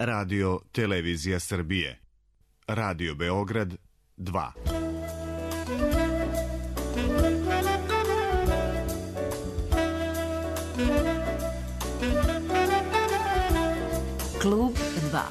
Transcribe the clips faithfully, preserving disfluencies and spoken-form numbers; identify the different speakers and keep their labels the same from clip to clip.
Speaker 1: Radio Televizija Srbije. Radio Beograd dva.
Speaker 2: Klub dva.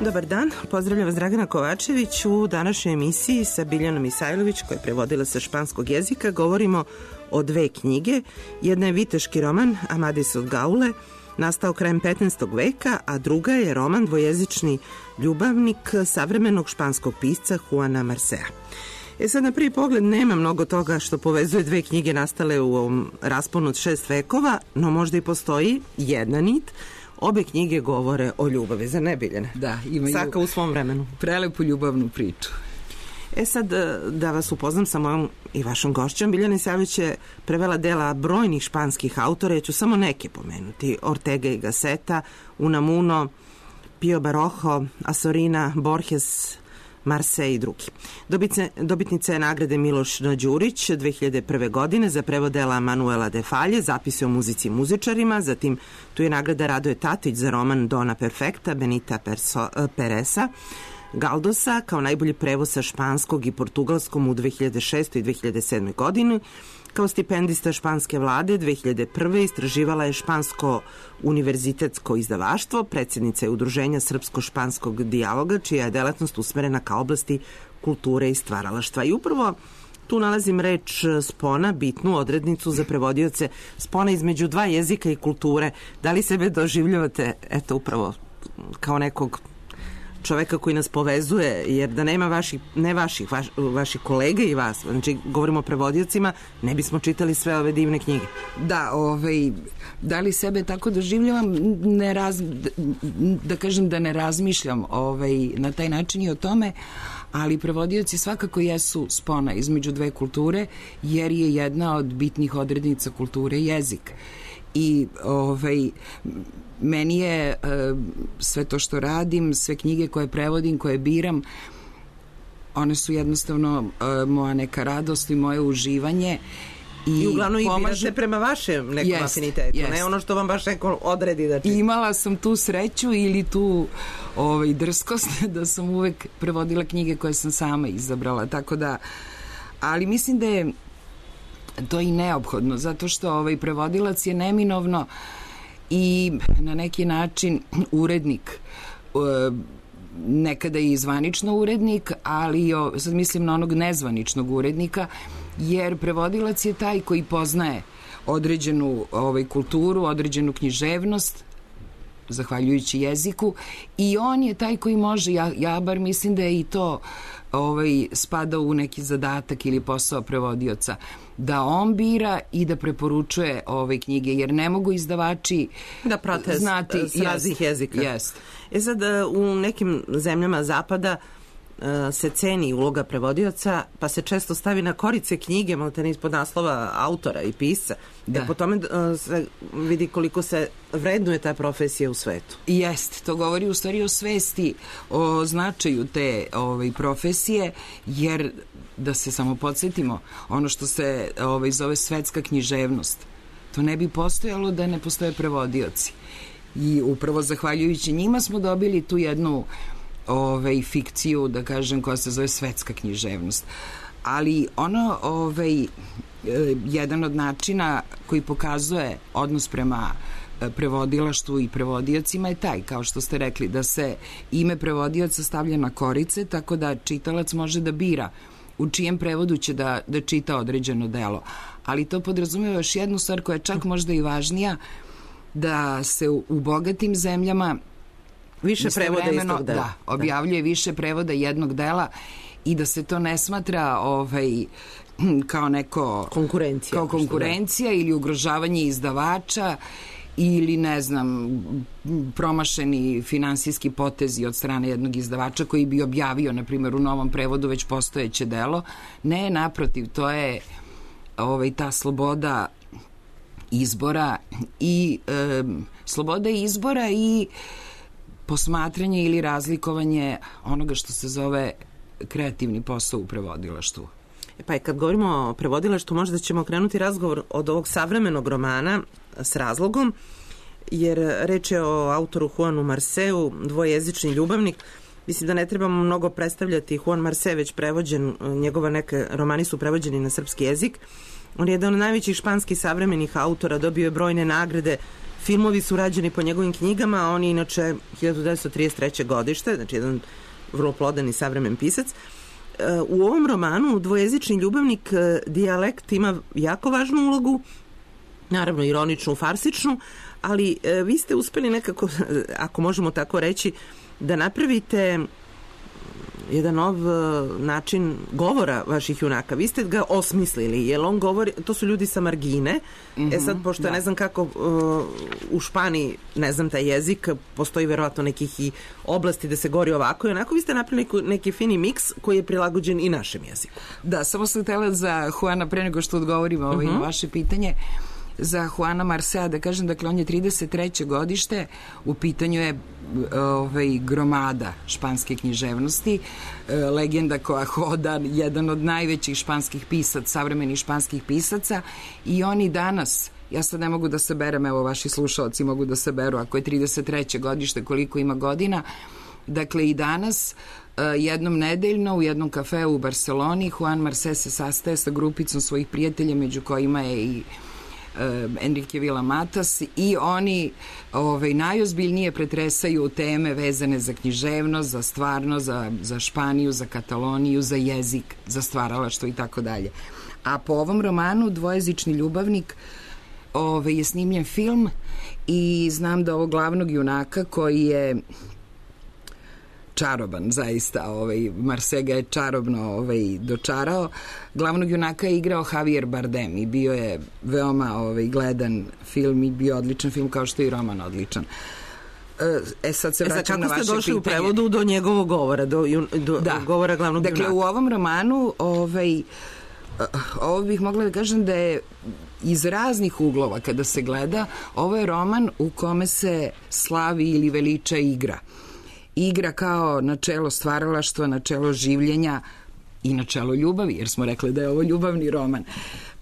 Speaker 3: Dobar dan, pozdravljam vas Dragana Kovačević. U današnjoj emisiji sa Biljanom Isajlović, koja je prevodila sa španskog jezika, govorimo o dve knjige. Jedna je viteški roman Amadis od Gaule, nastao krajem petnaestog veka, a druga je roman dvojezični ljubavnik savremenog španskog pisca Juana Marcea. E sad, na prvi pogled nema mnogo toga što povezuje dve knjige nastale u ovom rasponu od šest vekova, no možda i postoji jedna nit. Obe knjige govore o ljubavi, za ne, Biljane?
Speaker 4: Da, imaju
Speaker 3: svaka u svom vremenu
Speaker 4: prelepu ljubavnu priču.
Speaker 3: E sad, da vas upoznam sa mojom i vašom gošćom, Biljana Isajlović je prevela dela brojnih španskih autora, ja ću samo neke pomenuti: Ortega y Gasseta, Unamuno, Pio Barojo, Asorina, Borges, Marse i drugi. Dobice, dobitnica je nagrade Miloš Đurić dve hiljade prve. godine za prevod dela Manuela de Falje, zapise o muzici i muzičarima. Zatim tu je nagrada Radoje Tatić za roman Dona Perfekta Benita Perso, Peresa Galdosa kao najbolji prevod sa španskog i portugalskom u dve hiljade šestoj. i dve hiljade sedmoj. godini. Kao stipendista španske vlade dve hiljade prve. istraživala je špansko univerzitetsko izdavaštvo, predsjednica je udruženja Srpsko-španskog dijaloga, čija je delatnost usmerena ka oblasti kulture i stvaralaštva. I upravo tu nalazim reč spona, bitnu odrednicu za prevodioce, spona između dva jezika i kulture. Da li sebe doživljavate, eto, upravo kao nekog čoveka koji nas povezuje, jer da nema vaših, ne vaših, vaš, vaših kolega i vas, znači govorimo o prevodiocima, ne bismo čitali sve ove divne knjige.
Speaker 4: Da, ovaj, da li sebe tako doživljavam, ne raz, da, da kažem da ne razmišljam ovaj, na taj način i o tome, ali prevodioci svakako jesu spona između dve kulture, jer je jedna od bitnih odrednica kulture jezik. I ovaj, meni je e, sve to što radim, sve knjige koje prevodim, koje biram, one su jednostavno e, moja neka radost i moje uživanje. I,
Speaker 3: I uglavnom
Speaker 4: pomažu...
Speaker 3: i birate prema vašem nekom
Speaker 4: jest,
Speaker 3: afinitetu,
Speaker 4: jest.
Speaker 3: ne ono što vam baš neko odredi da čita.
Speaker 4: Imala sam tu sreću ili tu ovaj, drskost da sam uvek prevodila knjige koje sam sama izabrala, tako da, ali mislim da je to i neophodno, zato što ovaj prevodilac je neminovno i na neki način urednik, nekada i zvanično urednik, ali sad mislim na onog nezvaničnog urednika, jer prevodilac je taj koji poznaje određenu ovaj, kulturu, određenu književnost, zahvaljujući jeziku, i on je taj koji može, ja, ja bar mislim da je i to ovaj, spada u neki zadatak ili posao prevodioca, da on bira i da preporučuje ove knjige, jer ne mogu izdavači
Speaker 3: da prate znati s raznih jezika.
Speaker 4: Jest.
Speaker 3: E sad, u nekim zemljama zapada se ceni uloga prevodioca, pa se često stavi na korice knjige, maltene ispod naslova autora i pisca. Da. Jer po tome se vidi koliko se vrednuje ta profesija u svetu.
Speaker 4: Jest, to govori u stvari o svesti, o značaju te ovaj, profesije, jer da se samo podsjetimo, ono što se ovaj, zove svetska književnost, to ne bi postojalo da ne postoje prevodioci. I upravo zahvaljujući njima smo dobili tu jednu ovaj, fikciju, da kažem, koja se zove svetska književnost. Ali ono, ovaj, jedan od načina koji pokazuje odnos prema prevodilaštvu i prevodiocima je taj, kao što ste rekli, da se ime prevodioca stavlja na korice, tako da čitalac može da bira u čijem prevodu će da, da čita određeno delo. Ali to podrazumeva još jednu stvar koja je čak možda i važnija, da se u, u bogatim zemljama
Speaker 3: više prevoda istog dela.
Speaker 4: Da, objavljuje
Speaker 3: da.
Speaker 4: više prevoda jednog dela i da se to ne smatra ovaj, kao neko
Speaker 3: konkurencija,
Speaker 4: kao konkurencija ili ugrožavanje izdavača ili ne znam promašeni finansijski potezi od strane jednog izdavača koji bi objavio na primjer u novom prevodu već postojeće delo. Ne, naprotiv, to je ovaj, ta sloboda izbora i e, sloboda izbora i posmatranje ili razlikovanje onoga što se zove kreativni posao u prevodilaštvu.
Speaker 3: Pa i kad govorimo o prevodilaštvu, možda ćemo krenuti razgovor od ovog savremenog romana s razlogom, jer reč je o autoru Juanu Marseu, dvojezični ljubavnik. Mislim da ne trebamo mnogo predstavljati. Juan Marse već prevođen, njegova neke romani su prevođeni na srpski jezik. On je jedan od najvećih španskih savremenih autora, dobio je brojne nagrade, filmovi su rađeni po njegovim knjigama, a on je inače hiljadu devetsto trideset treće godište, znači jedan vrlo plodan i savremen pisac. U ovom romanu dvojezični ljubavnik dijalekt ima jako važnu ulogu, naravno ironičnu, farsičnu, ali vi ste uspeli nekako, ako možemo tako reći, da napravite jedan nov način govora vaših junaka. Vi ste ga osmislili, jer on govori, to su ljudi sa margine. Mm-hmm, e sad, pošto da. ne znam kako uh, u Španiji, ne znam taj jezik, postoji verovatno nekih i oblasti da se govori ovako i onako, vi ste napravili neki, neki fini miks koji je prilagođen i našem jeziku.
Speaker 4: Da, samo sam htjela za Juana, pre nego što odgovorimo ovaj, mm-hmm. na vaše pitanje, za Juana Marsea da kažem, dakle on je trideset treće godište, u pitanju je ovaj, gromada španske književnosti, legenda koja hoda, jedan od najvećih španskih pisaca, savremenih španskih pisaca, i oni danas, ja sad ne mogu da saberem, evo vaši slušalci mogu da saberu, ako je trideset treće godište koliko ima godina, dakle i danas jednom nedeljno u jednom kafeu u Barceloni Juan Marse se sastaje sa grupicom svojih prijatelja, među kojima je i Enrique Villamatas, i oni ovaj, najozbiljnije pretresaju teme vezane za književnost, za stvarnost, za, za Španiju, za Kataloniju, za jezik, za stvaralaštvo i tako dalje. A po ovom romanu Dvojezični ljubavnik ovaj, je snimljen film i znam da ovog glavnog junaka koji je čaroban, zaista, ovaj, Marse ga je čarobno ovaj, dočarao. Glavnog junaka je igrao Javier Bardem i bio je veoma ovaj, gledan film i bio odličan film, kao što je i roman odličan. E sad se vraćam na vaše pitanje.
Speaker 3: Kako ste došli u prevodu do njegovog govora, do, do da. govora glavnog
Speaker 4: dakle,
Speaker 3: junaka?
Speaker 4: Dakle, u ovom romanu ovaj, ovo bih mogla da kažem da je iz raznih uglova kada se gleda, ovo je roman u kome se slavi ili veliča igra. Igra kao načelo stvaralaštva, načelo življenja i načelo ljubavi, jer smo rekli da je ovo ljubavni roman.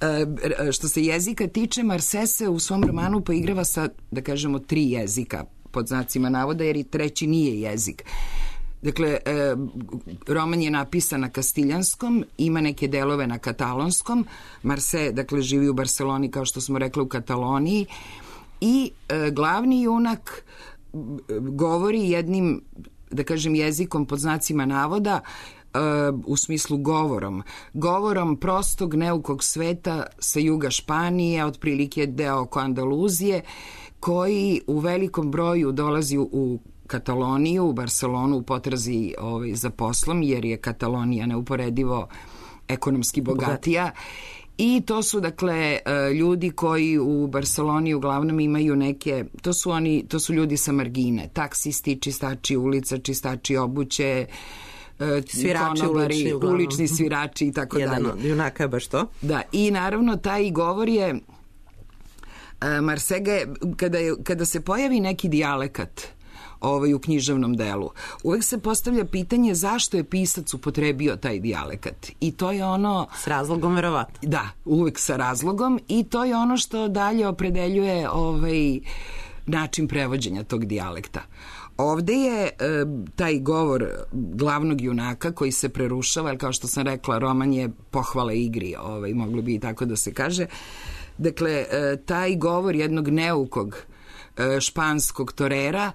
Speaker 4: E, što se jezika tiče, Marse se u svom romanu poigrava sa, da kažemo, tri jezika, pod znacima navoda, jer i treći nije jezik. Dakle, e, roman je napisan na kastiljanskom, ima neke delove na katalonskom. Marse, dakle, živi u Barceloni, kao što smo rekli, u Kataloniji, i e, glavni junak govori jednim, da kažem, jezikom pod znacima navoda, uh, u smislu govorom. Govorom prostog, neukog sveta sa juga Španije, otprilike deo oko Andaluzije, koji u velikom broju dolazi u, u Kataloniju, u Barcelonu, u potrazi ovaj, za poslom, jer je Katalonija neuporedivo ekonomski bogatija. I to su, dakle, ljudi koji u Barceloni uglavnom imaju neke, to su oni, to su ljudi sa margine, taksisti, čistači ulica, čistači obuće,
Speaker 3: svirači ulični,
Speaker 4: ulični svirači i tako
Speaker 3: Jedan
Speaker 4: dalje.
Speaker 3: Jedan od junaka je baš to.
Speaker 4: Da, i naravno taj govor je, Marsega je, kada, je, kada se pojavi neki dijalekat ovaj, u književnom delu, uvek se postavlja pitanje zašto je pisac upotrebio taj dijalekat. I to je ono...
Speaker 3: S razlogom, verovatno.
Speaker 4: Da, uvek sa razlogom, i to je ono što dalje opredeljuje ovaj, način prevođenja tog dijalekta. Ovde je e, taj govor glavnog junaka koji se prerušava, jer kao što sam rekla, roman je pohvala igri, ovaj, moglo bi i tako da se kaže. Dakle, e, taj govor jednog neukog e, španskog torera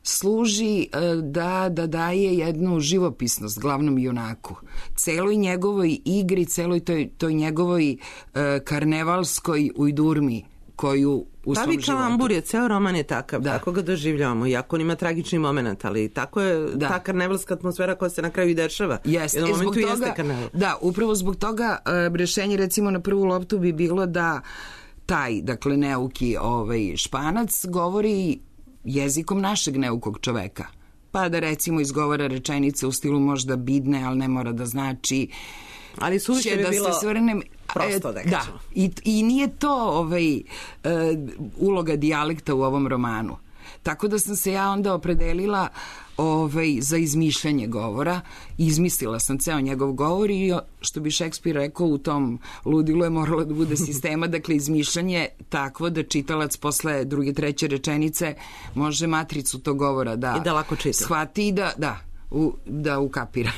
Speaker 4: služi da, da daje jednu živopisnost glavnom junaku. Celoj njegovoj igri, celoj toj, toj njegovoj uh, karnevalskoj ujdurmi koju u svom životu.
Speaker 3: Pravi kalambur je, ceo roman je takav, da. Tako ga doživljavamo, iako on ima tragični moment, ali tako je da. Ta karnevalska atmosfera koja se na kraju i dešava.
Speaker 4: Jeste, e, zbog toga, da, upravo zbog toga uh, rešenje recimo na prvu loptu bi bilo da taj, dakle, neuki ovaj, Španac govori jezikom našeg neukog čoveka. Pa da recimo izgovara rečenice u stilu možda bidne, ali ne mora da znači...
Speaker 3: Ali suviše bi
Speaker 4: da
Speaker 3: bilo
Speaker 4: svrnem,
Speaker 3: prosto da kažem.
Speaker 4: Da, i, i nije to ovaj, uh, uloga dijalekta u ovom romanu. Tako da sam se ja onda opredelila ovaj, za izmišljanje govora. Izmislila sam ceo njegov govor i, što bi Šekspir rekao, u tom ludilu je moralo da bude sistema, dakle izmišljanje takvo da čitalac posle druge, treće rečenice može matricu tog govora da,
Speaker 3: I da lako čita.
Speaker 4: Shvati i da, da, u, da ukapira.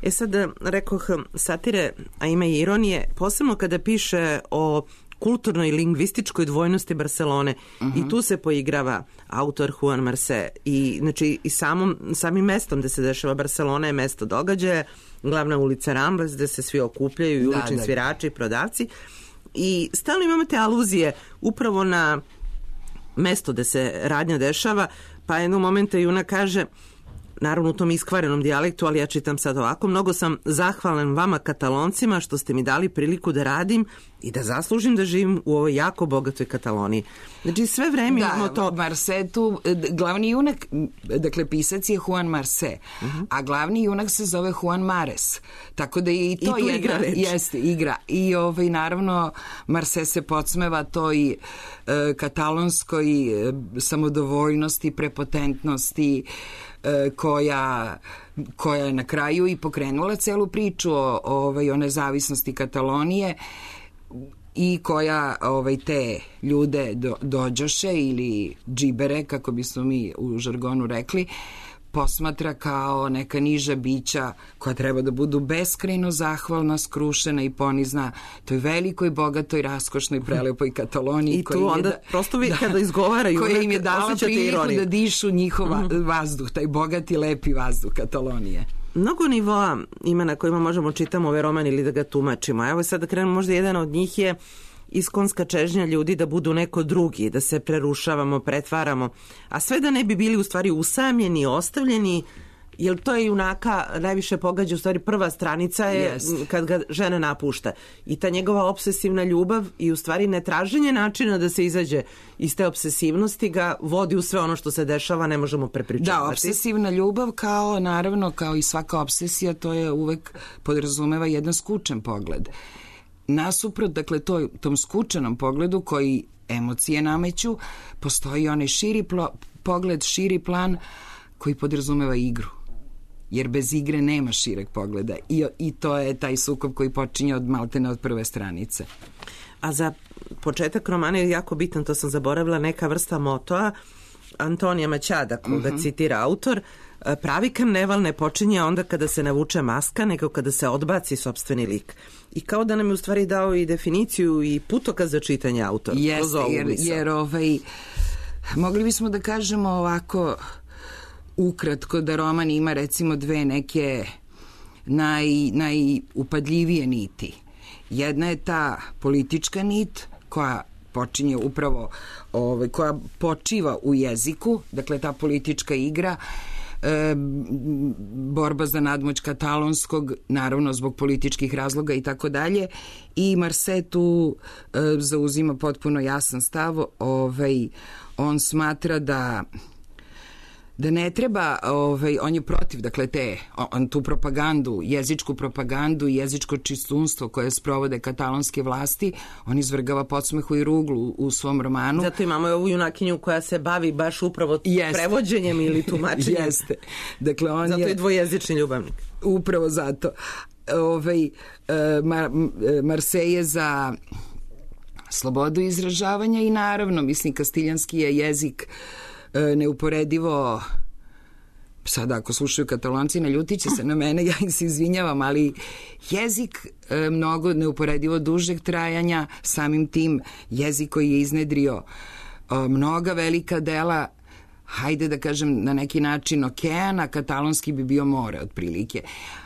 Speaker 3: E sad, rekoh, satire, a ima i ironije, posebno kada piše o kulturnoj i lingvističkoj dvojnosti Barcelone. Uh-huh. I tu se poigrava autor Juan Marcé. I, znači, i samom, samim mestom gde se dešava Barcelona je mesto događaja, glavna ulica Ramblas, gde se svi okupljaju i ulični da, da. svirači i prodavci. I stalno imamo te aluzije upravo na mesto gde se radnja dešava, pa jednog momenta Juna kaže, naravno u tom iskvarenom dijalektu, ali ja čitam sad ovako, mnogo sam zahvalan vama Kataloncima što ste mi dali priliku da radim i da zaslužim da živim u ovoj jako bogatoj Kataloniji. Znači sve vreme
Speaker 4: da,
Speaker 3: imamo to...
Speaker 4: Marcé tu, glavni junak, dakle pisac je Juan Marcé, uh-huh. a glavni junak se zove Juan Mares. Tako da i to
Speaker 3: I
Speaker 4: je
Speaker 3: igra reč.
Speaker 4: Jeste, igra. I ovaj, naravno Marcé se podsmeva toj e, katalonskoj e, samodovoljnosti, prepotentnosti, koja, koja je na kraju i pokrenula celu priču o, ovaj, o nezavisnosti Katalonije i koja ovaj, te ljude do, dođoše ili džibere, kako bismo mi u žargonu rekli, posmatra kao neka niža bića koja treba da budu beskrajno zahvalna, skrušena i ponizna toj velikoj, bogatoj, raskošnoj, prelepoj Kataloniji.
Speaker 3: I tu onda da, prosto vi
Speaker 4: da,
Speaker 3: kada izgovaraju
Speaker 4: koja im je dala priliku
Speaker 3: ironiju.
Speaker 4: Da dišu njihov mm-hmm. vazduh, taj bogati, lepi vazduh Katalonije.
Speaker 3: Mnogo nivoa ima na kojima možemo čitamo ovaj roman ili da ga tumačimo. Evo sad da krenemo, možda jedan od njih je iskonska čežnja ljudi da budu neko drugi, da se prerušavamo, pretvaramo, a sve da ne bi bili u stvari usamljeni, ostavljeni, jer to je junaka najviše pogađa, u stvari prva stranica je yes. kad ga žena napušta. I ta njegova obsesivna ljubav i u stvari netraženje načina da se izađe iz te obsesivnosti ga vodi u sve ono što se dešava, ne možemo prepričavati.
Speaker 4: Da, obsesivna ljubav kao, naravno, kao i svaka obsesija, to je uvek podrazumeva jedan skučen pogled. Nasuprot, dakle, to, tom skučenom pogledu koji emocije nameću, postoji onaj širi plo, pogled, širi plan koji podrazumeva igru. Jer bez igre nema šireg pogleda. I, i to je taj sukob koji počinje od maltene od prve stranice.
Speaker 3: A za početak romana je jako bitan, to sam zaboravila, neka vrsta motoa Antonija Maćada, koga uh-huh. citira autor. Pravi karneval ne počinje onda kada se navuče maska, nego kada se odbaci sopstveni lik. I kao da nam je u stvari dao i definiciju i putokaz za čitanje autora.
Speaker 4: Jeste, jer, jer ovaj, mogli bismo da kažemo ovako ukratko da roman ima recimo dve neke naj, najupadljivije niti. Jedna je ta politička nit koja počinje upravo, ovaj, koja počiva u jeziku, dakle ta politička igra, e, borba za nadmoć katalonskog, naravno zbog političkih razloga i tako dalje. I Marcé tu e, zauzima potpuno jasan stav, ovaj, on smatra da da ne treba, ovaj, on je protiv, dakle, te, on tu propagandu, jezičku propagandu i jezičko čistunstvo koje sprovode katalonske vlasti, on izvrgava podsmehu i ruglu u, u svom romanu.
Speaker 3: Zato imamo ovu junakinju koja se bavi baš upravo Jeste. prevođenjem ili tumačenjem.
Speaker 4: Jeste. Dakle, on
Speaker 3: zato
Speaker 4: je...
Speaker 3: je dvojezični ljubavnik.
Speaker 4: Upravo zato. Ovaj, Mar, Marcé je za slobodu izražavanja i naravno, mislim, kastiljanski je jezik neuporedivo, sada ako slušaju Katalonci naljutit će se na mene, ja im se izvinjavam, ali jezik e, mnogo neuporedivo dužeg trajanja, samim tim jezik koji je iznedrio e, mnoga velika dela, hajde da kažem na neki način okeana, katalonski bi bio more otprilike.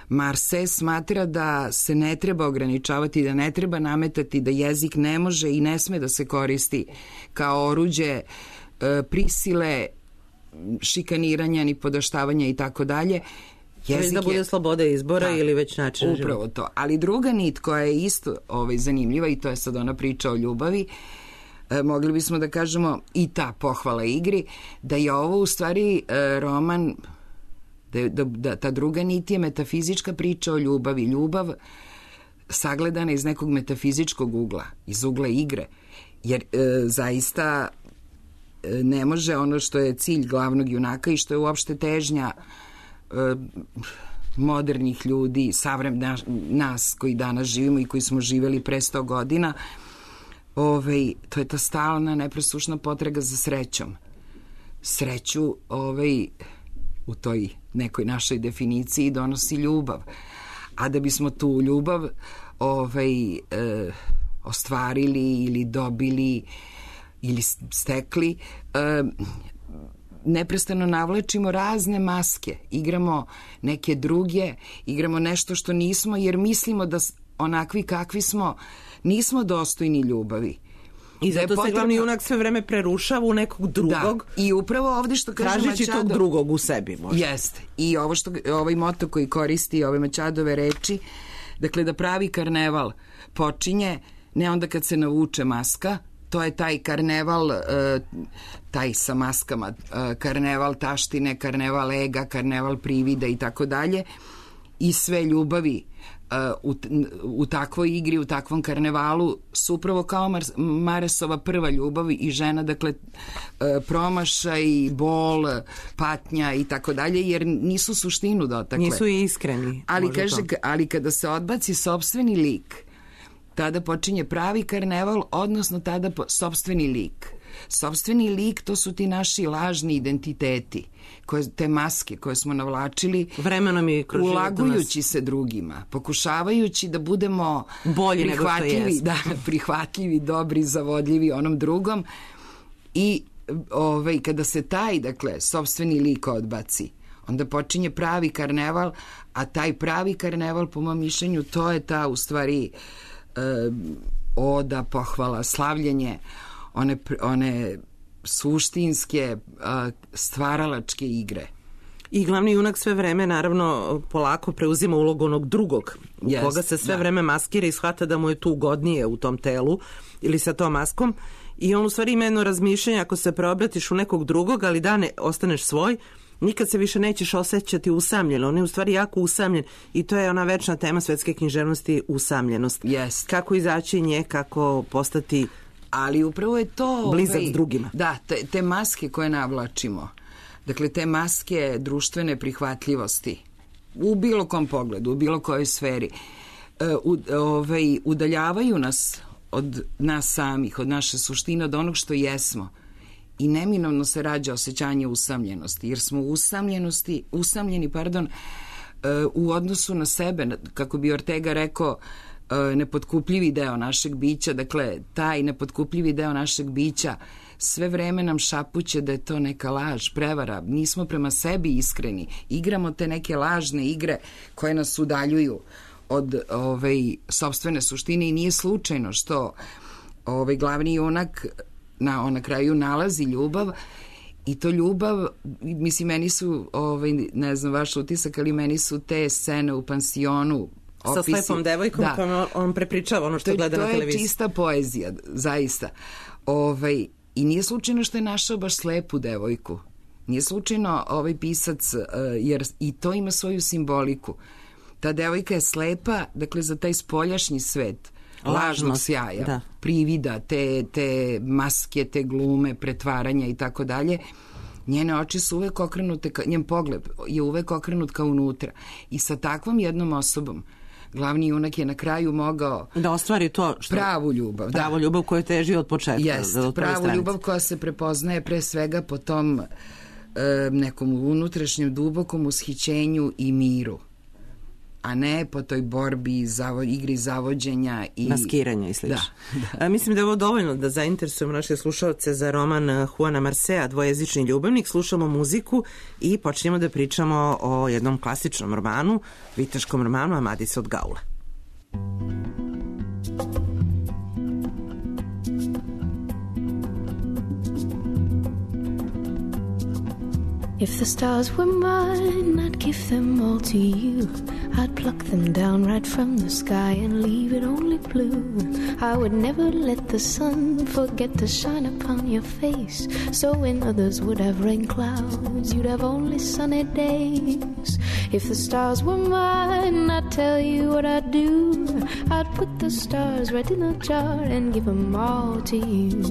Speaker 4: Marcé smatra da se ne treba ograničavati, da ne treba nametati, da jezik ne može i ne sme da se koristi kao oruđe prisile, šikaniranja, ni podaštavanja i tako dalje,
Speaker 3: Jezik da bude je, sloboda izbora da, ili već način života.
Speaker 4: Upravo to. Ali druga nit koja je isto ovaj, zanimljiva, i to je sad ona priča o ljubavi, e, mogli bismo da kažemo i ta pohvala igri, da je ovo u stvari e, roman, da, da, da ta druga nit je metafizička priča o ljubavi. Ljubav sagledana iz nekog metafizičkog ugla, iz ugla igre. Jer e, zaista e, ne može ono što je cilj glavnog junaka i što je uopšte težnja e, modernih ljudi, savrem na, nas koji danas živimo i koji smo živeli pre sto godina, ovaj, to je ta stalna, nepresušna potraga za srećom. Sreću ovaj, u toj nekoj našoj definiciji donosi ljubav. A da bismo tu ljubav ovaj, e, ostvarili ili dobili ili stekli, e, neprestano navlačimo razne maske, igramo neke druge, igramo nešto što nismo, jer mislimo da onakvi kakvi smo nismo dostojni ljubavi.
Speaker 3: I zato se glavni junak sve vreme prerušava u nekog drugog.
Speaker 4: Da. I upravo ovde što kaže Machado,
Speaker 3: tražeći tog drugog u sebi možda.
Speaker 4: Jeste. I ovo što, ovaj moto koji koristi ove Machadove reči, dakle da pravi karneval počinje ne onda kad se navuče maska, to je taj karneval, taj sa maskama, karneval taštine, karneval ega, karneval privida i tako dalje, i sve ljubavi u, u takvoj igri, u takvom karnevalu su upravo kao Mar Maresova prva ljubav i žena, dakle promašaj, bol, patnja i tako dalje, jer nisu suštinu dotakle.
Speaker 3: Nisu i iskreni.
Speaker 4: Ali, kaže, ali kada se odbaci sopstveni lik, tada počinje pravi karneval, odnosno tada po, sopstveni lik. Sopstveni lik, to su ti naši lažni identiteti, koje, te maske koje smo navlačili
Speaker 3: vremenom i kroz
Speaker 4: ulagujući se drugima, pokušavajući da budemo
Speaker 3: bolji
Speaker 4: prihvatljivi, da, prihvatljivi, dobri, zavodljivi onom drugom. I ovaj, kada se taj, dakle, sopstveni lik odbaci, onda počinje pravi karneval, a taj pravi karneval, po mom mišljenju, to je ta, u stvari, oda, pohvala, slavljenje one, one suštinske stvaralačke igre.
Speaker 3: I glavni junak sve vreme naravno polako preuzima ulogu onog drugog, u yes, koga se sve da. vreme maskira i shvata da mu je tu ugodnije u tom telu ili sa tom maskom, i on u stvari ima jedno razmišljanje, ako se preobratiš u nekog drugog, ali da ne ostaneš svoj, nikad se više nećeš osjećati usamljeno. On je u stvari jako usamljen i to je ona večna tema svetske književnosti, usamljenost.
Speaker 4: Yes.
Speaker 3: Kako izaći nje, kako postati
Speaker 4: ali upravo je to
Speaker 3: blizak ovaj, s drugima.
Speaker 4: Da, te, te maske koje navlačimo, dakle te maske društvene prihvatljivosti u bilo kom pogledu, u bilo kojoj sferi, u, ovaj, udaljavaju nas od nas samih, od naše suštine, od onog što jesmo. I neminovno se rađa osjećanje usamljenosti, jer smo usamljenosti, usamljeni, pardon, u odnosu na sebe, kako bi Ortega rekao, nepotkupljivi deo našeg bića, dakle, taj nepotkupljivi deo našeg bića sve vreme nam šapuće da je to neka laž, prevara, nismo prema sebi iskreni, igramo te neke lažne igre koje nas udaljuju od ovaj, sopstvene suštine i nije slučajno što ovaj, glavni junak na, on na kraju nalazi ljubav i to ljubav, mislim, meni su, ovaj, ne znam vaš utisak, ali meni su te scene u pansionu
Speaker 3: sa
Speaker 4: opisi,
Speaker 3: slepom devojkom da. kojom on prepričava ono što
Speaker 4: to,
Speaker 3: gleda na televiziji.
Speaker 4: To je čista poezija, zaista. Ovaj, I nije slučajno što je našao baš slepu devojku. Nije slučajno ovaj pisac, jer i to ima svoju simboliku. Ta devojka je slepa, dakle, za taj spoljašnji svet, lažnog sjaja, da. privida, te, te maske, te glume, pretvaranja i tako dalje. Njene oči su uvek okrenute, ka, njen pogled je uvek okrenut ka unutra. I sa takvom jednom osobom glavni junak je na kraju mogao
Speaker 3: da ostvari to što,
Speaker 4: pravu ljubav.
Speaker 3: Pravu
Speaker 4: da.
Speaker 3: ljubav koju teži od početka.
Speaker 4: Jest, od pravu stranice. Ljubav koja se prepoznaje pre svega po tom e, nekom unutrašnjem dubokom ushićenju i miru, a ne po toj borbi, zavo, igri zavođenja i
Speaker 3: maskiranja i slično.
Speaker 4: Da, da.
Speaker 3: A, mislim da je ovo dovoljno da zainteresujemo naše slušalce za roman Juana Marcea, Dvojezični ljubavnik. Slušamo muziku i počnemo da pričamo o jednom klasičnom romanu, viteškom romanu Amadisa od Gaule.
Speaker 2: If the stars were mine, I'd give them all to you. I'd pluck them down right from the sky and leave it only blue. I would never let the sun forget to shine upon your face. So when others would have rain clouds, you'd have only sunny days. If the stars were mine, I'd tell you what I'd do. I'd put the stars right in a jar and give them all to you.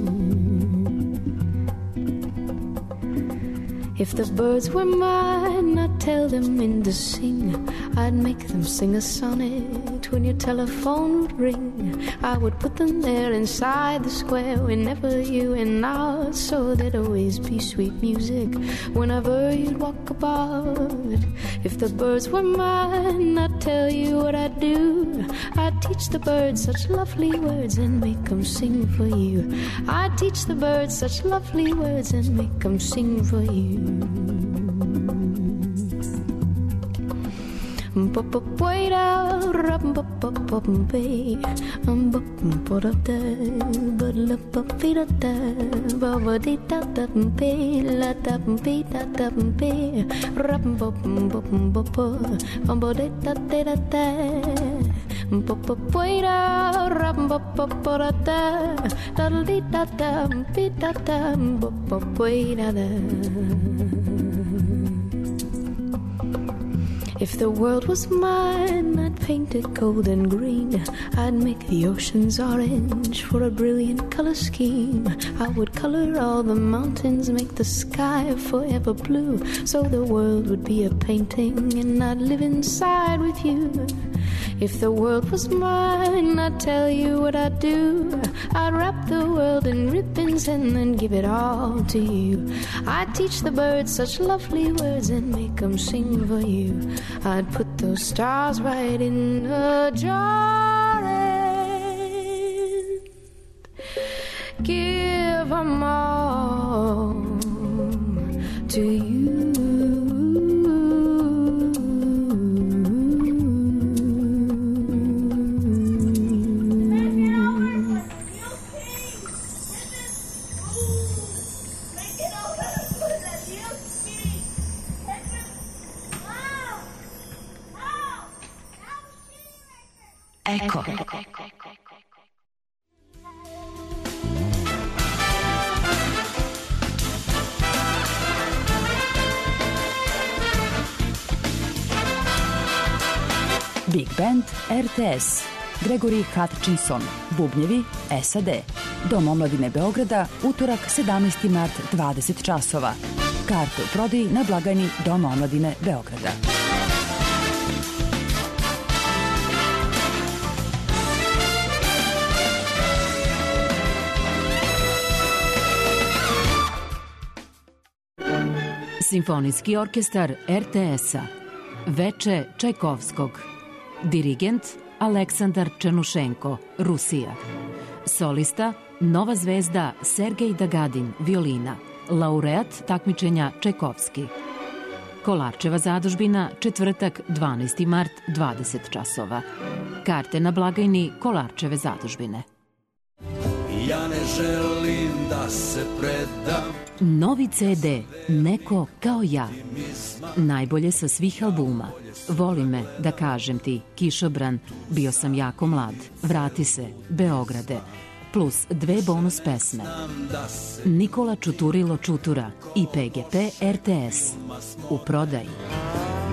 Speaker 2: If the birds were mine, I'd tell them when to sing. I'd make them sing a sonnet when your telephone would ring. I would put them there inside the square whenever you went out, so there'd always be sweet music whenever you'd walk about. If the birds were mine, I'd tell you what I'd do. I'd teach the birds such lovely words and make them sing for you. I'd teach the birds such lovely words and make them sing for you. Wait out, rum ba ba ba ba, um ba ba da da, ba la ba ba da da, ba ba di da da ba, la da ba da da ba, rum ba ba ba ba, um ba di da da da da, ba ba wait out, rum ba ba ba da da, da di da da ba da da, ba ba wait da da. If the world was mine, I'd paint it gold and green. I'd make the oceans orange for a brilliant color scheme. I would color all the mountains, make the sky forever blue, so the world would be a painting and I'd live inside with you. If the world was mine, I'd tell you what I'd do. I'd wrap the world in ribbons and then give it all to you. I'd teach the birds such lovely words and make them sing for you. I'd put those stars right in a jar and give them all to you.
Speaker 5: Eko. Big Band R T S. Gregory Hutchinson, bubnjevi S A D. Dom omladine Beograda, utorak sedamnaesti mart, dvadeset časova. Karte u prodaji na blagajni Doma omladine Beograda. Simfonijski orkestar R T S-a. Veče Čajkovskog. Dirigent Aleksandar Černušenko, Rusija. Solista Nova zvezda Sergej Dagadin, violina. Laureat takmičenja Čajkovski. Kolarčeva zadužbina, četvrtak, dvanaesti mart, dvadeset časova. Karte na blagajni Kolarčeve zadužbine.
Speaker 6: Ja ne želim da se predam.
Speaker 5: Novi C D Neko kao ja. Najbolje sa svih albuma. Voli me, da kažem ti, Kišobran, Bio sam jako mlad, Vrati se, Beograde, plus dve bonus pesme. Nikola Čuturilo Čutura i P G P R T S. U prodaji.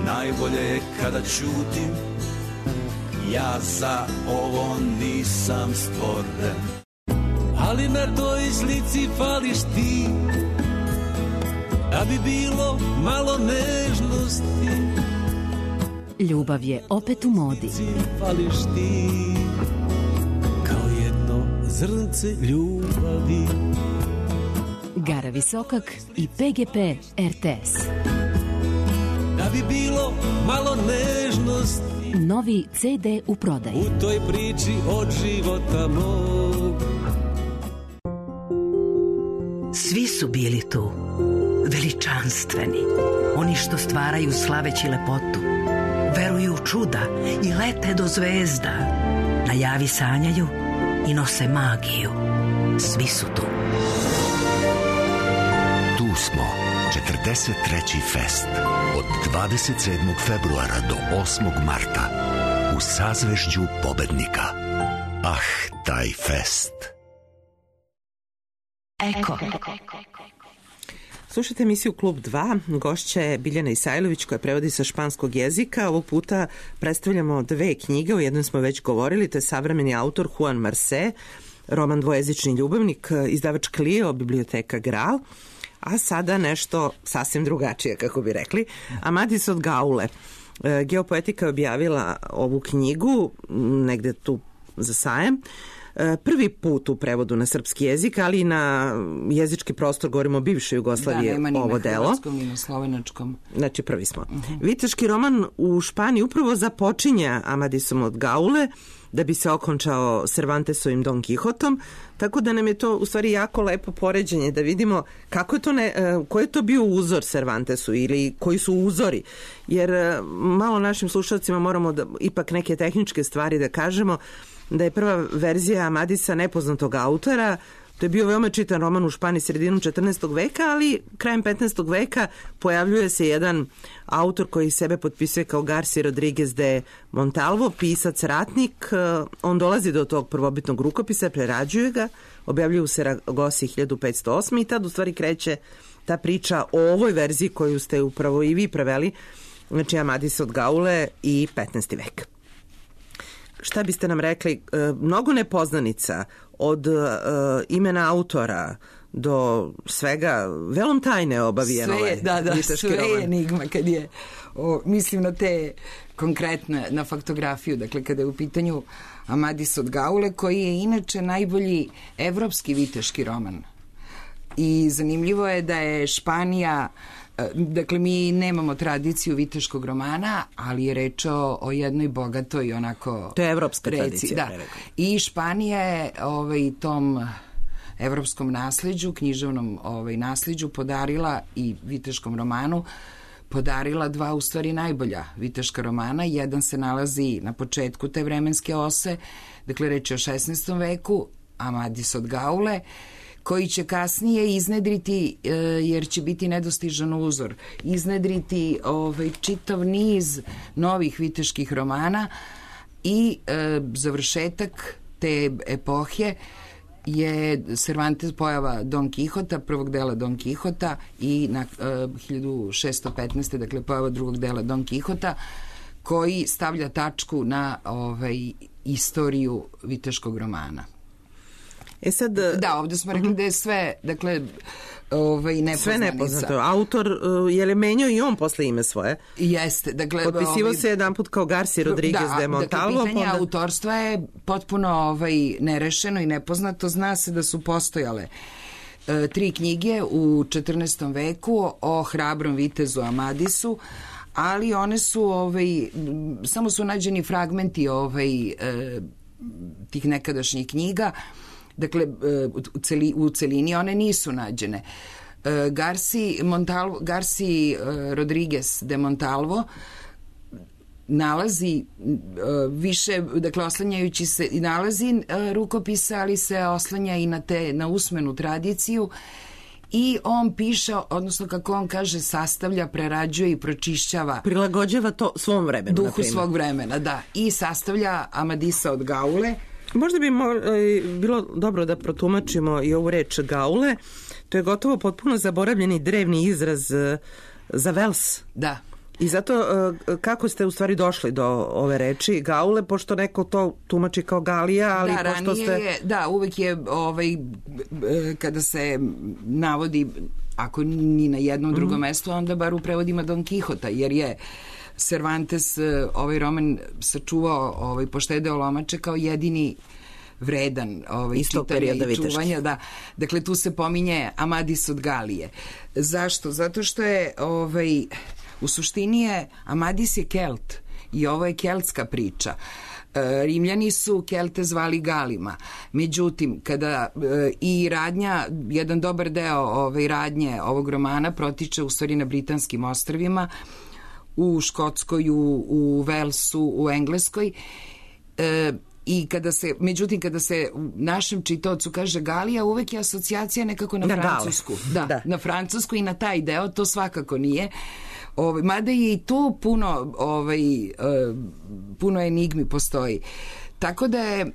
Speaker 6: Najbolje je kada ćutim, ja za ovo nisam stvoren. Ali na toj slici fališ ti, da bi bilo malo nežnosti.
Speaker 5: Ljubav je opet u modi.
Speaker 6: Fališ ti, kao jedno zrnce ljubavi.
Speaker 5: Gara Visokak i P G P R T S.
Speaker 6: Da bi bilo malo nežnosti.
Speaker 5: Novi C D u prodaji.
Speaker 6: U toj priči od života mog.
Speaker 7: Svi su bili tu, veličanstveni, oni što stvaraju slaveći lepotu, veruju u čuda i lete do zvezda, na javi sanjaju i nose magiju. Svi su tu.
Speaker 8: Tu smo, četrdeset treći fest od dvadeset sedmog februara do osmog marta u sazvežđu pobednika. Ah, taj fest.
Speaker 7: Eko.
Speaker 3: Slušajte emisiju Klub dva, gošća je Biljana Isajlović koja prevodi sa španskog jezika. Ovog puta predstavljamo dve knjige, o jednoj smo već govorili, to je savremeni autor Juan Marcé, roman Dvojezični ljubavnik, izdavač Clio, biblioteka Graal, a sada nešto sasvim drugačije, kako bi rekli, Amadis od Gaule. Geopoetika je objavila ovu knjigu negde tu za sajam. Prvi put u prevodu na srpski jezik, ali i na jezički prostor, govorimo o bivšoj Jugoslaviji, ovo delo. Da, nema ni na hrvatskom, ni na slovenačkom. Znači, prvi smo. Uh-huh. Viteški roman u Španiji upravo započinja Amadisom od Gaule, da bi se okončao Cervantesovim Don Quijotom, tako da nam je to u stvari jako lepo poređenje da vidimo kako je to ne, koji je to bio uzor Cervantesu ili koji su uzori, jer malo našim slušalcima moramo da, ipak neke tehničke stvari da kažemo, da je prva verzija Amadisa nepoznatog autora. To je bio veoma čitan roman u Španiji sredinom četrnaestog veka, ali krajem petnaestog veka pojavljuje se jedan autor koji sebe potpisuje kao Garcia Rodriguez de Montalvo, pisac ratnik. On dolazi do tog prvobitnog rukopisa, prerađuje ga, objavljuje u Saragosi hiljadu petsto osme i tad u stvari kreće ta priča o ovoj verziji koju ste upravo i vi preveli, znači Amadis od Gaule i petnaesti vek. Šta biste nam rekli? Mnogo nepoznanica od uh, imena autora do svega, velom tajne obavijeno
Speaker 4: sve je, da, da, sve je enigma kad je, o, mislim na te konkretne, na faktografiju, dakle kada je u pitanju Amadis od Gaule, koji je inače najbolji evropski viteški roman. I zanimljivo je da je Španija, dakle mi nemamo tradiciju viteškog romana, ali je reč o, o jednoj bogatoj onako...
Speaker 3: To je evropska
Speaker 4: reci,
Speaker 3: tradicija.
Speaker 4: Da. I Španija je ovaj, tom evropskom nasleđu, književnom ovaj, nasleđu podarila i viteškom romanu podarila dva u stvari najbolja viteška romana. Jedan se nalazi na početku te vremenske ose, dakle reč je o šesnaestom veku, Amadis od Gaule, koji će kasnije iznedriti, jer će biti nedostižan uzor, iznedriti ovaj, čitav niz novih viteških romana i e, završetak te epohe je Cervantes, pojava Don Quixota, prvog dela Don Quixota i na e, hiljadu šesto petnaeste. dakle pojava drugog dela Don Quixota, koji stavlja tačku na ovaj, istoriju viteškog romana.
Speaker 3: E sad,
Speaker 4: da, ovdje smo rekli uh-huh. da je sve, dakle, ovaj, nepoznanica. Sve nepoznato.
Speaker 3: Autor, uh, je li menjao i on posle ime svoje?
Speaker 4: Jeste. Dakle,
Speaker 3: potpisivo
Speaker 4: ovaj,
Speaker 3: se jedan put kao Garcia Rodriguez
Speaker 4: da,
Speaker 3: de Montalvo.
Speaker 4: Dakle, pitanje
Speaker 3: onda...
Speaker 4: autorstva je potpuno ovaj, nerešeno i nepoznato. Zna se da su postojale uh, tri knjige u četrnaestom veku o hrabrom vitezu Amadisu, ali one su, ovaj, samo su nađeni fragmenti ovaj, uh, tih nekadašnjih knjiga. Dakle, u, celi, u celini one nisu nađene. Garci, Montalvo, Garci Rodriguez de Montalvo nalazi više, dakle, oslanjajući se, nalazi rukopisa, ali se oslanja i na, te, na usmenu tradiciju i on piše, odnosno kako on kaže, sastavlja, prerađuje i pročišćava.
Speaker 3: Prilagođava to svom vremenu.
Speaker 4: Duhu naprimer. Svog vremena, da. I sastavlja Amadisa od Gaule.
Speaker 3: Možda bi mo, bilo dobro da protumačimo i ovu reč Gaule. To je gotovo potpuno zaboravljeni drevni izraz za Vels.
Speaker 4: Da.
Speaker 3: I zato kako ste u stvari došli do ove reči Gaule, pošto neko to tumači kao Galija, ali
Speaker 4: da,
Speaker 3: pošto ste...
Speaker 4: Je, da, uvek je ovaj, kada se navodi, ako ni na jednom mm-hmm. drugom mestu, onda bar u prevodima Don Quixota, jer je Cervantes ovaj roman sačuvao, ovaj, poštedeo lomače kao jedini vredan ovaj, čitanja i čuvanja. Da. Dakle, tu se pominje Amadis od Galije. Zašto? Zato što je ovaj, u suštini je Amadis je Kelt i ovo je keltska priča. Rimljani su Kelte zvali Galima. Međutim, kada e, i radnja, jedan dobar deo ovaj, radnje ovog romana protiče u stvari na Britanskim ostrvima, u Škotskoj, u, u Velsu, u Engleskoj, e, I kada se, međutim, kada se našem čitaocu kaže Galija, uvek je asocijacija nekako na,
Speaker 3: na
Speaker 4: Francusku. Da,
Speaker 3: da,
Speaker 4: na Francusku i na taj deo, to svakako nije. Ovaj, mada je i tu puno, ovaj, uh, puno enigmi postoji. Tako da je,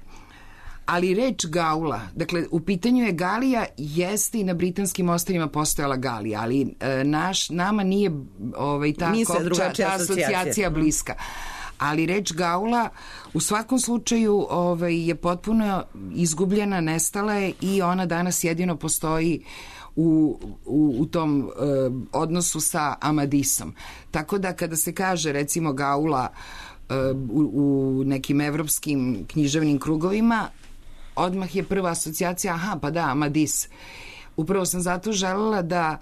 Speaker 4: ali reč Gaula, dakle, u pitanju je Galija, jeste i na britanskim ostrvima postojala Galija, ali uh, naš, nama nije ovaj, ta, kopča, ta asocijacija bliska. Ali reč Gaula u svakom slučaju ovaj, je potpuno izgubljena, nestala je i ona danas jedino postoji u, u, u tom uh, odnosu sa Amadisom. Tako da kada se kaže recimo Gaula uh, u, u nekim evropskim književnim krugovima, odmah je prva asocijacija, aha, pa da, Amadis. Upravo sam zato želela da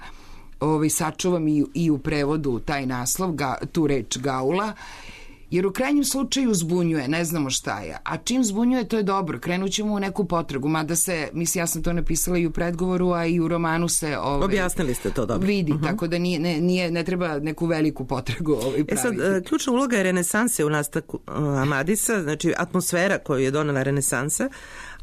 Speaker 4: ovaj, sačuvam i, i u prevodu taj naslov, ga, tu reč Gaula, jer u krajnjem slučaju zbunjuje, ne znamo šta je. A čim zbunjuje, to je dobro. Krenut ćemo u neku potragu. Mada se, mislim, ja sam to napisala i u predgovoru, a i u romanu se... Ovaj,
Speaker 3: objasnili ste to dobro.
Speaker 4: Vidi,
Speaker 3: uh-huh.
Speaker 4: tako da nije, ne, nije, ne treba neku veliku potragu ovaj, praviti.
Speaker 3: E sad, ključna uloga je renesanse u nastavku Amadisa, znači atmosfera koju je donela renesansa,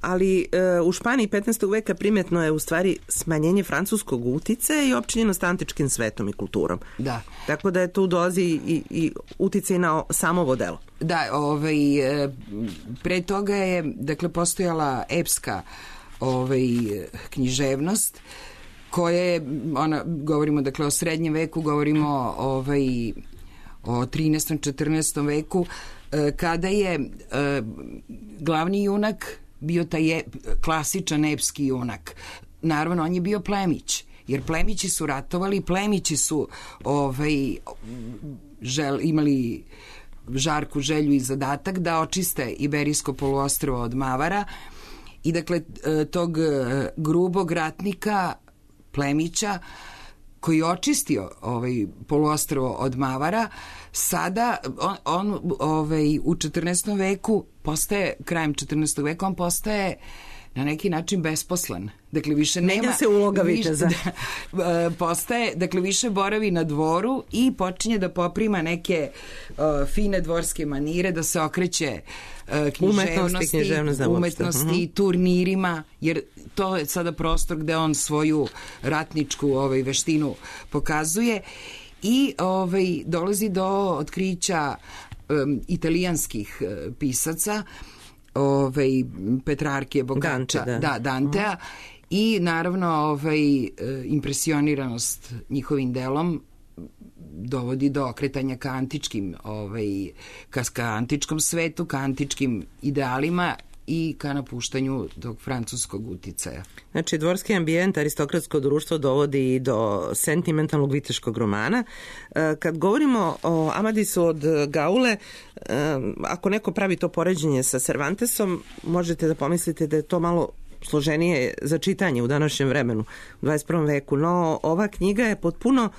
Speaker 3: ali e, u Španiji petnaestog veka primjetno je u stvari smanjenje francuskog uticaja i općinjenost antičkim svetom i kulturom.
Speaker 4: Da.
Speaker 3: Tako da je tu dolazi i, i uticaj na samo ovo delo.
Speaker 4: Da, ovaj, pre toga je, dakle, postojala epska ovaj, književnost koja je, ona, govorimo, dakle, o srednjem veku, govorimo ovaj, o trinaestom četrnaestom veku, kada je glavni junak bio taj je, klasičan epski junak. Naravno, on je bio plemić, jer plemići su ratovali, plemići su ovaj, žel, imali žarku želju i zadatak da očiste Iberijsko poluostrvo od Mavara i dakle tog grubog ratnika plemića koji je očistio ovaj poluostrvo od Mavara, sada on, on ovaj, u četrnaestom veku postaje, krajem četrnaestog veka, on postaje na neki način besposlen. Dakle, više nema...
Speaker 3: Menja se uloga viteza.
Speaker 4: Da, postaje, dakle, više boravi na dvoru i počinje da poprima neke uh, fine dvorske manire, da se okreće uh, književnosti,
Speaker 3: književnost, da,
Speaker 4: umetnosti, uh-huh. turnirima, jer to je sada prostor gde on svoju ratničku ovaj, veštinu pokazuje i ovaj, dolazi do otkrića um, italijanskih uh, pisaca, ovaj, Petrarkije, Boccaccia,
Speaker 3: Dante, da.
Speaker 4: da, Dantea, uh-huh. i naravno ovaj, impresioniranost njihovim delom dovodi do okretanja ka antičkim, ovaj, ka, ka antičkom svetu, ka antičkim idealima i ka napuštanju tog francuskog uticaja.
Speaker 3: Znači, dvorski ambijent, aristokratsko društvo dovodi i do sentimentalnog viteškog romana. Kad govorimo o Amadisu od Gaule, ako neko pravi to poređenje sa Cervantesom, možete da pomislite da je to malo složenije za čitanje u današnjem vremenu, u dvadeset prvom veku, no ova knjiga je potpuno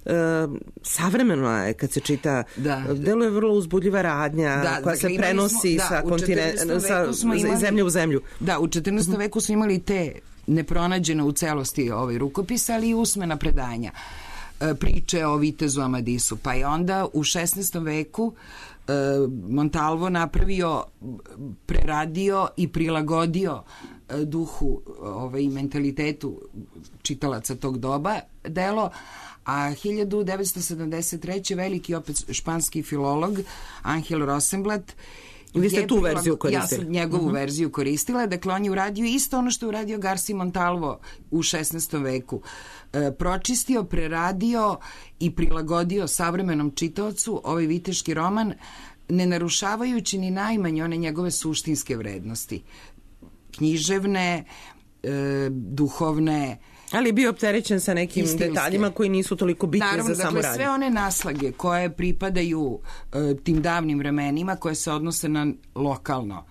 Speaker 3: Uh, savremeno je kad se čita,
Speaker 4: da.
Speaker 3: Deluje vrlo uzbudljiva radnja,
Speaker 4: da,
Speaker 3: koja se prenosi smo, da, sa kontine, sa imali, zemlje u zemlju.
Speaker 4: Da, u četrnaestom veku smo imali te nepronađene u celosti ovaj rukopisa, ali i usmena predanja, priče o vitezu Amadisu. Pa je onda u šesnaestom veku Montalvo napravio, preradio i prilagodio duhu ovaj, mentalitetu čitalaca tog doba delo, a hiljadu devetsto sedamdeset treće veliki opet španski filolog Angel Rosenblatt,
Speaker 3: vi ste tu verziju koristili.
Speaker 4: Ja sam njegovu uh-huh. verziju koristila, dakle on je uradio isto ono što je uradio Garci Montalvo u šesnaestom veku. E, pročistio, preradio i prilagodio savremenom čitaocu ovaj viteški roman, ne narušavajući ni najmanje one njegove suštinske vrednosti. Književne, e, duhovne,
Speaker 3: ali je bio opterećen sa nekim istinske detaljima koji nisu toliko bitni.
Speaker 4: Naravno,
Speaker 3: za samu radnju.
Speaker 4: Naravno, dakle, sve one naslage koje pripadaju uh, tim davnim vremenima, koje se odnose na lokalno,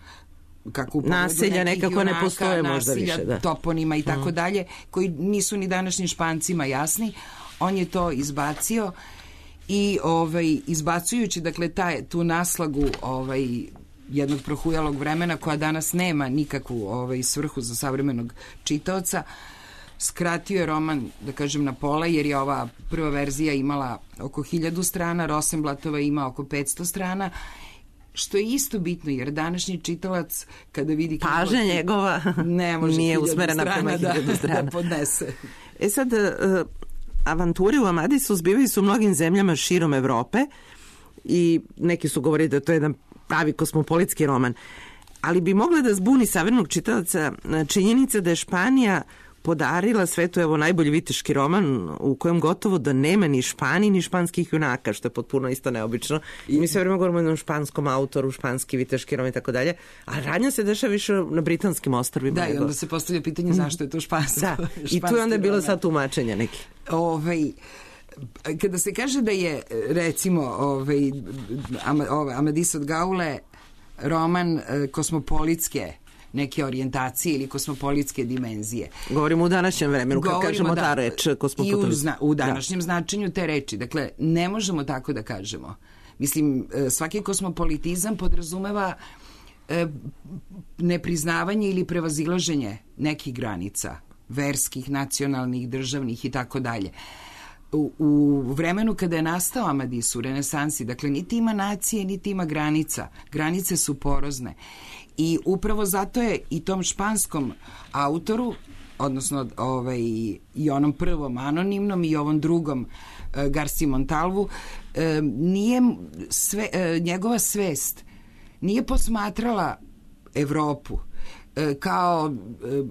Speaker 4: kako u
Speaker 3: naselja nekako junaka, ne postoje možda
Speaker 4: naselja,
Speaker 3: više. Da.
Speaker 4: Toponima i tako dalje, koji nisu ni današnjim Špancima jasni. On je to izbacio i ovaj, izbacujući, dakle, taj, tu naslagu ovaj, jednog prohujalog vremena koja danas nema nikakvu ovaj, svrhu za savremenog čitaoca, skratio je roman, da kažem, na pola, jer je ova prva verzija imala oko hiljadu strana, Rosenblattova ima oko petsto strana što je isto bitno, jer današnji čitalac kada vidi...
Speaker 3: Pažnja njegova
Speaker 4: ne može
Speaker 3: nije usmerena prema hiljadu strana.
Speaker 4: Da podnese.
Speaker 3: E sad, uh, avanture u Amadisu zbivaju su u mnogim zemljama širom Evrope i neki su govorili da to je jedan pravi kosmopolitski roman. Ali bi mogla da zbuni savremenog čitalaca činjenica da je Španija podarila svetu evo najbolji viteški roman u kojem gotovo da nema ni Španiji ni španskih junaka, što je potpuno isto neobično. I mi sve vreme govorimo o jednom španskom autoru, španski viteški roman i tako dalje, a radnja se dešava više na britanskim ostrvima.
Speaker 4: Da, nego. I onda se postavlja pitanje zašto je to špansko. Da,
Speaker 3: i tu je onda bilo sad tumačenja neki.
Speaker 4: Ovaj... Kada se kaže da je, recimo, ovaj, Amadis od Gaule roman kosmopolitske neke orijentacije ili kosmopolitske dimenzije.
Speaker 3: Govorimo u današnjem vremenu, kad kažemo da, ta reč kosmopolitska.
Speaker 4: I u, zna, u današnjem da. značenju te reči. Dakle, ne možemo tako da kažemo. Mislim, svaki kosmopolitizam podrazumeva nepriznavanje ili prevazilaženje nekih granica, verskih, nacionalnih, državnih i tako dalje. U, u vremenu kada je nastao Amadis u renesansi, dakle, niti ima nacije, niti ima granica. Granice su porozne. I upravo zato je i tom španskom autoru, odnosno ovaj, i onom prvom anonimnom i ovom drugom uh, Garci Montalvu, uh, nije sve, uh, njegova svest nije posmatrala Evropu kao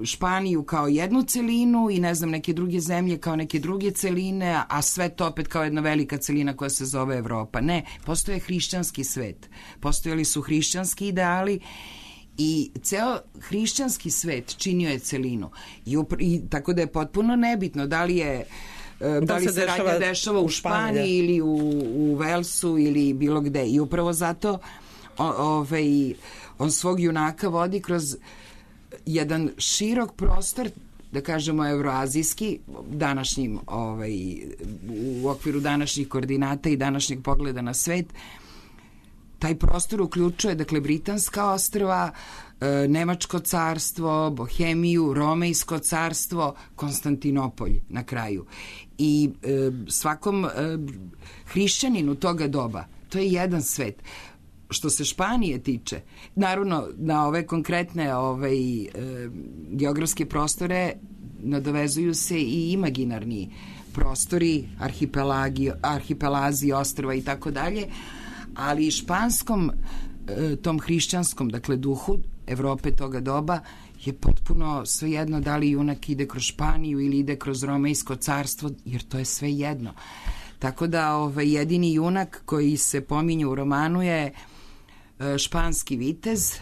Speaker 4: Španiju kao jednu celinu i ne znam neke druge zemlje kao neke druge celine, a sve to opet kao jedna velika celina koja se zove Evropa. Ne, postoje hrišćanski svet. Postojali su hrišćanski ideali i ceo hrišćanski svet činio je celinu. I, upr- i tako da je potpuno nebitno da li je da, da li se, se dešava, radnja dešava u Španiji ili u, u Velsu ili bilo gde. I upravo zato o, ovaj, on svog junaka vodi kroz jedan širok prostor, da kažemo evroazijski, današnjim, ovaj, u okviru današnjih koordinata i današnjeg pogleda na svet. Taj prostor uključuje, dakle, Britanska ostrva, e, Nemačko carstvo, Bohemiju, Romejsko carstvo, Konstantinopolj na kraju. I e, svakom e, hrišćaninu toga doba, to je jedan svet. Što se Španije tiče, naravno na ove konkretne ovaj, e, geografske prostore nadovezuju se i imaginarni prostori, arhipelagi, arhipelazi, ostrva i tako dalje, ali i španskom e, tom hrišćanskom, dakle duhu Evrope toga doba je potpuno svejedno da li junak ide kroz Španiju ili ide kroz Romejsko carstvo, jer to je sve jedno. Tako da ovaj, jedini junak koji se pominje u romanu je španski vitez,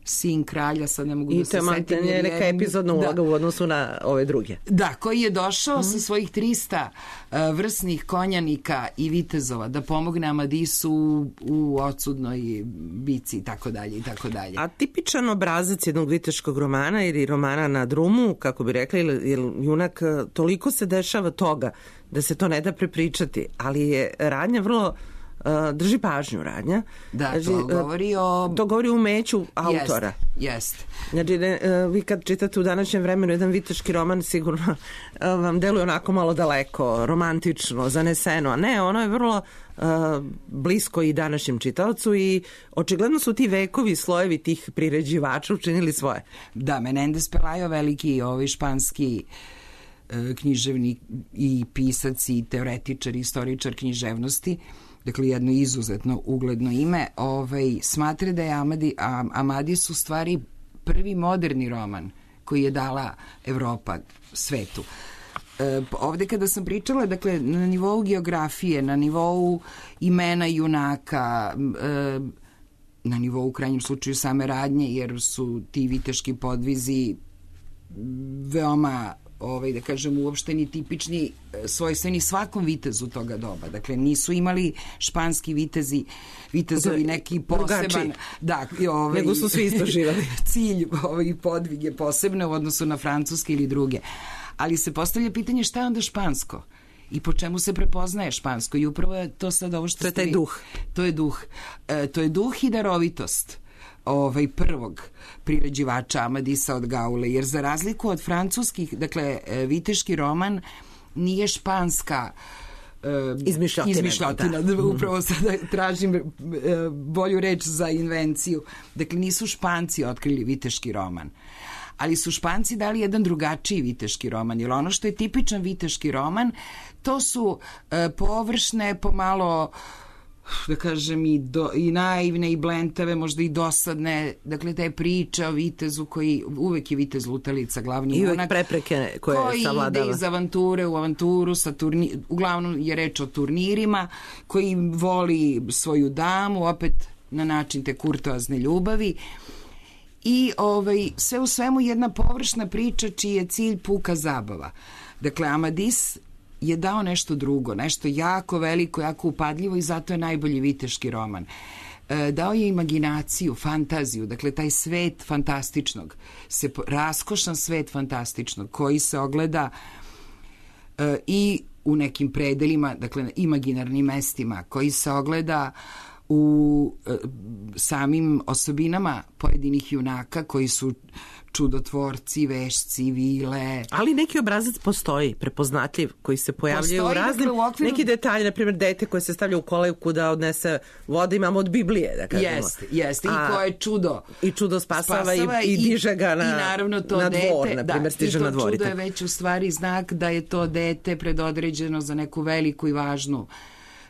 Speaker 4: sin kralja, sad ne mogu
Speaker 3: I
Speaker 4: da se setim.
Speaker 3: I to je neka epizodna uloga da. u odnosu na ove druge.
Speaker 4: Da, koji je došao mm. sa svojih trista uh, vrsnih konjanika i vitezova da pomogne Amadisu u, u odsudnoj bici i tako dalje i tako dalje.
Speaker 3: A tipičan obrazac jednog viteškog romana ili romana na drumu, kako bi rekli, jer junak toliko se dešava toga da se to ne da prepričati, ali je radnja vrlo Uh, drži pažnju radnja.
Speaker 4: Da, znači, to govori o...
Speaker 3: To govori o umeću autora.
Speaker 4: Jest, jest.
Speaker 3: Znači, ne, uh, vi kad čitate u današnjem vremenu jedan viteški roman, sigurno uh, vam deluje onako malo daleko, romantično, zaneseno, a ne, ono je vrlo uh, blisko i današnjem čitaocu i očigledno su ti vekovi, slojevi tih priređivača učinili svoje.
Speaker 4: Da, Menendez Pelayo, veliki ovaj španski uh, književnik i pisac i teoretičar, istoričar književnosti, dakle jedno izuzetno ugledno ime, ovaj, smatra da je Amadi, Amadis u stvari prvi moderni roman koji je dala Evropa svetu. E, ovde kada sam pričala, dakle, na nivou geografije, na nivou imena junaka, e, na nivou u krajnjem slučaju same radnje, jer su ti viteški podvizi veoma ovaj, da kažem, uopšteni, tipični, svojstveni svakom vitezu toga doba. Dakle, nisu imali španski vitezi, vitezovi neki poseban... Da, ovaj,
Speaker 3: nego su svi isto živali.
Speaker 4: Cilj ovaj, podvige posebne u odnosu na francuske ili druge. Ali se postavlja pitanje šta je onda špansko? I po čemu se prepoznaje špansko? I upravo je to sad ovo što...
Speaker 3: To je taj duh.
Speaker 4: To je duh. E, to je duh i darovitost ovaj prvog priređivača Amadisa od Gaule, jer za razliku od francuskih, dakle, viteški roman nije španska
Speaker 3: izmišljotina.
Speaker 4: Izmišljotina, da. Upravo sada tražim bolju reč za invenciju. Dakle, nisu Španci otkrili viteški roman, ali su Španci dali jedan drugačiji viteški roman, jer ono što je tipičan viteški roman, to su površne, pomalo, da kažem, i, do, i naivne i blentave, možda i dosadne, dakle te priče o vitezu koji, uvek je vitez lutalica, glavni
Speaker 3: i
Speaker 4: junak,
Speaker 3: uvek prepreke koje
Speaker 4: koji
Speaker 3: savladava,
Speaker 4: ide iz avanture u avanturu, sa turni, uglavnom je reč o turnirima, koji voli svoju damu, opet na način te kurtoazne ljubavi, i ovaj, sve u svemu jedna površna priča čiji je cilj puka zabava. Dakle, Amadis je dao nešto drugo, nešto jako veliko, jako upadljivo, i zato je najbolji viteški roman. E, dao je imaginaciju, fantaziju, dakle taj svet fantastičnog, se, raskošan svet fantastičnog koji se ogleda e, i u nekim predelima, dakle imaginarnim mestima, koji se ogleda u e, samim osobinama pojedinih junaka koji su čudotvorci, vešci, vile.
Speaker 3: Ali neki obrazac postoji, prepoznatljiv, koji se pojavljaju u raznim, dakle, u okviru... neki detalji, na primjer dete koje se stavlja u kolevku da odnese vode, imamo od Biblije, da kažemo.
Speaker 4: Jeste, jeste, i koje čudo.
Speaker 3: I čudo spasava, spasava i, i diže ga na,
Speaker 4: i naravno to
Speaker 3: na dvor,
Speaker 4: dete,
Speaker 3: na primjer, stiže na dvor.
Speaker 4: I to čudo je već u stvari znak da je to dete predodređeno za neku veliku i važnu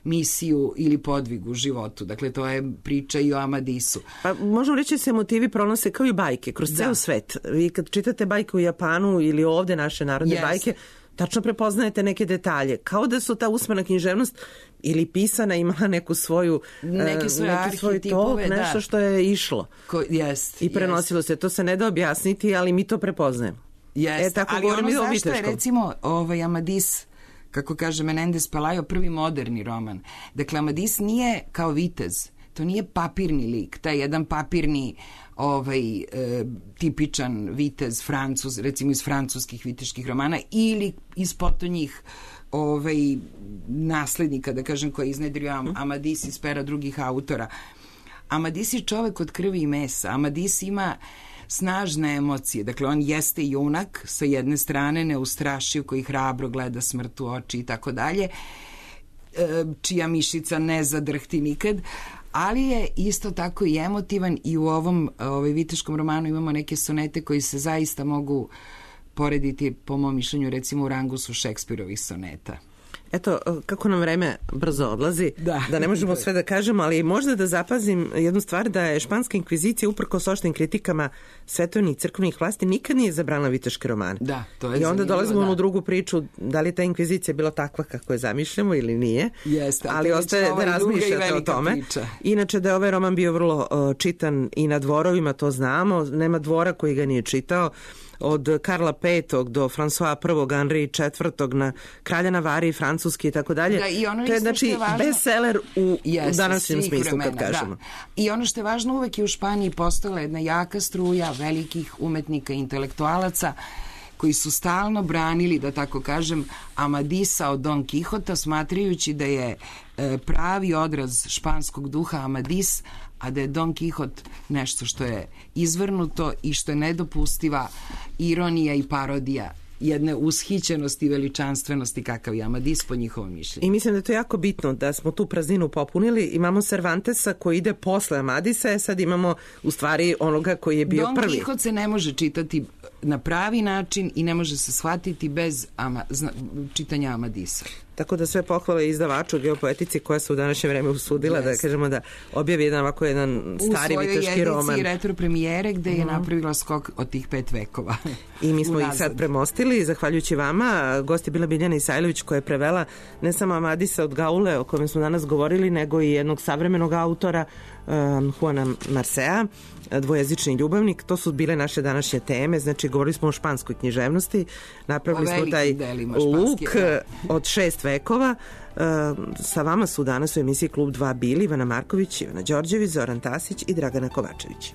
Speaker 4: misiju ili podvig u životu. Dakle, to je priča i o Amadisu.
Speaker 3: Pa, možemo reći da se motivi pronose kao i bajke, kroz da. Ceo svet. Vi kad čitate bajke u Japanu ili ovde naše narodne yes. bajke, tačno prepoznajete neke detalje. Kao da su ta usmena književnost ili pisana imala neku svoju
Speaker 4: neke svoje
Speaker 3: uh, neki svoj tok,
Speaker 4: da.
Speaker 3: Nešto što je išlo.
Speaker 4: Ko, jest,
Speaker 3: I prenosilo jest. se. To se ne da objasniti, ali mi to prepoznajemo.
Speaker 4: Jest.
Speaker 3: E, tako
Speaker 4: ali
Speaker 3: govorim
Speaker 4: ono
Speaker 3: o
Speaker 4: zašto je, recimo, ovaj Amadis, kako kaže Menendez Pelayo, prvi moderni roman. Dakle, Amadis nije kao vitez. To nije papirni lik, taj jedan papirni ovaj, e, tipičan vitez Francuz, recimo iz francuskih viteških romana, ili iz potonjih ovaj, naslednika, da kažem, koji je iznedrio Am Amadis iz pera drugih autora. Amadis je čovek od krvi i mesa. Amadis ima snažne emocije. Dakle, on jeste junak, sa jedne strane neustrašiv, koji hrabro gleda smrt u oči i tako dalje, čija mišica ne zadrhti nikad, ali je isto tako i emotivan, i u ovom ovaj, viteškom romanu imamo neke sonete koji se zaista mogu porediti, po mom mišljenju, recimo u rangu su Šekspirovih soneta.
Speaker 3: Eto, kako nam vreme brzo odlazi, da, da ne možemo sve da kažemo, ali možda da zapazim jednu stvar, da je španska inkvizicija, uprkos oštrim kritikama svetovnih i crkvenih vlasti, nikad nije zabranila viteške romane.
Speaker 4: Da, to je
Speaker 3: I onda dolazimo
Speaker 4: da.
Speaker 3: u drugu priču, da li ta inkvizicija bila takva kako je zamišljamo ili nije.
Speaker 4: Jeste,
Speaker 3: ali ostaje da razmišljate o tome.
Speaker 4: Priča.
Speaker 3: Inače, da je ovaj roman bio vrlo uh, čitan i na dvorovima, to znamo. Nema dvora koji ga nije čitao. Od Karla petog do François prvog, Henri četvrtog, na kralja Navarre i francuski i tako dalje. To je znači bestseller u, yes, u današnjem smislu, vremena, kad kažemo.
Speaker 4: Da. I ono što je važno, uvek je u Španiji postojala jedna jaka struja velikih umetnika i intelektualaca koji su stalno branili, da tako kažem, Amadisa od Don Kihota, smatrajući da je e, pravi odraz španskog duha Amadis, a da je Don Kihot nešto što je izvrnuto i što je nedopustiva ironija i parodija jedne ushićenosti i veličanstvenosti kakav je Amadis po njihovom mišljenju.
Speaker 3: I mislim da je to jako bitno da smo tu prazninu popunili. Imamo Cervantesa koji ide posle Amadisa, a sad imamo u stvari onoga koji je bio
Speaker 4: Don
Speaker 3: prvi.
Speaker 4: Don Kihot se ne može čitati na pravi način i ne može se shvatiti bez ama, zna, čitanja Amadisa.
Speaker 3: Tako da sve pohvale izdavaču Geopoetici koja se u današnje vreme usudila yes. da kažemo da objavi jedan ovako jedan stari viteški roman. U svojoj
Speaker 4: edici retro premijere gde je uh-huh. napravila skok od tih pet vekova.
Speaker 3: I mi smo ih sad premostili, zahvaljujući vama. Gost je bila Biljana Isajlović koja je prevela ne samo Amadisa od Gaule o kojem smo danas govorili, nego i jednog savremenog autora um, Juana Marcea, dvojezični ljubavnik. To su bile naše današnje teme, znači govorili smo o španskoj književnosti, napravili smo taj luk da. od šest vekova. Uh, sa vama su danas u emisiji Klub dva bili Ivana Marković, Ivana Đorđević, Zoran Tasić i Dragana Kovačević.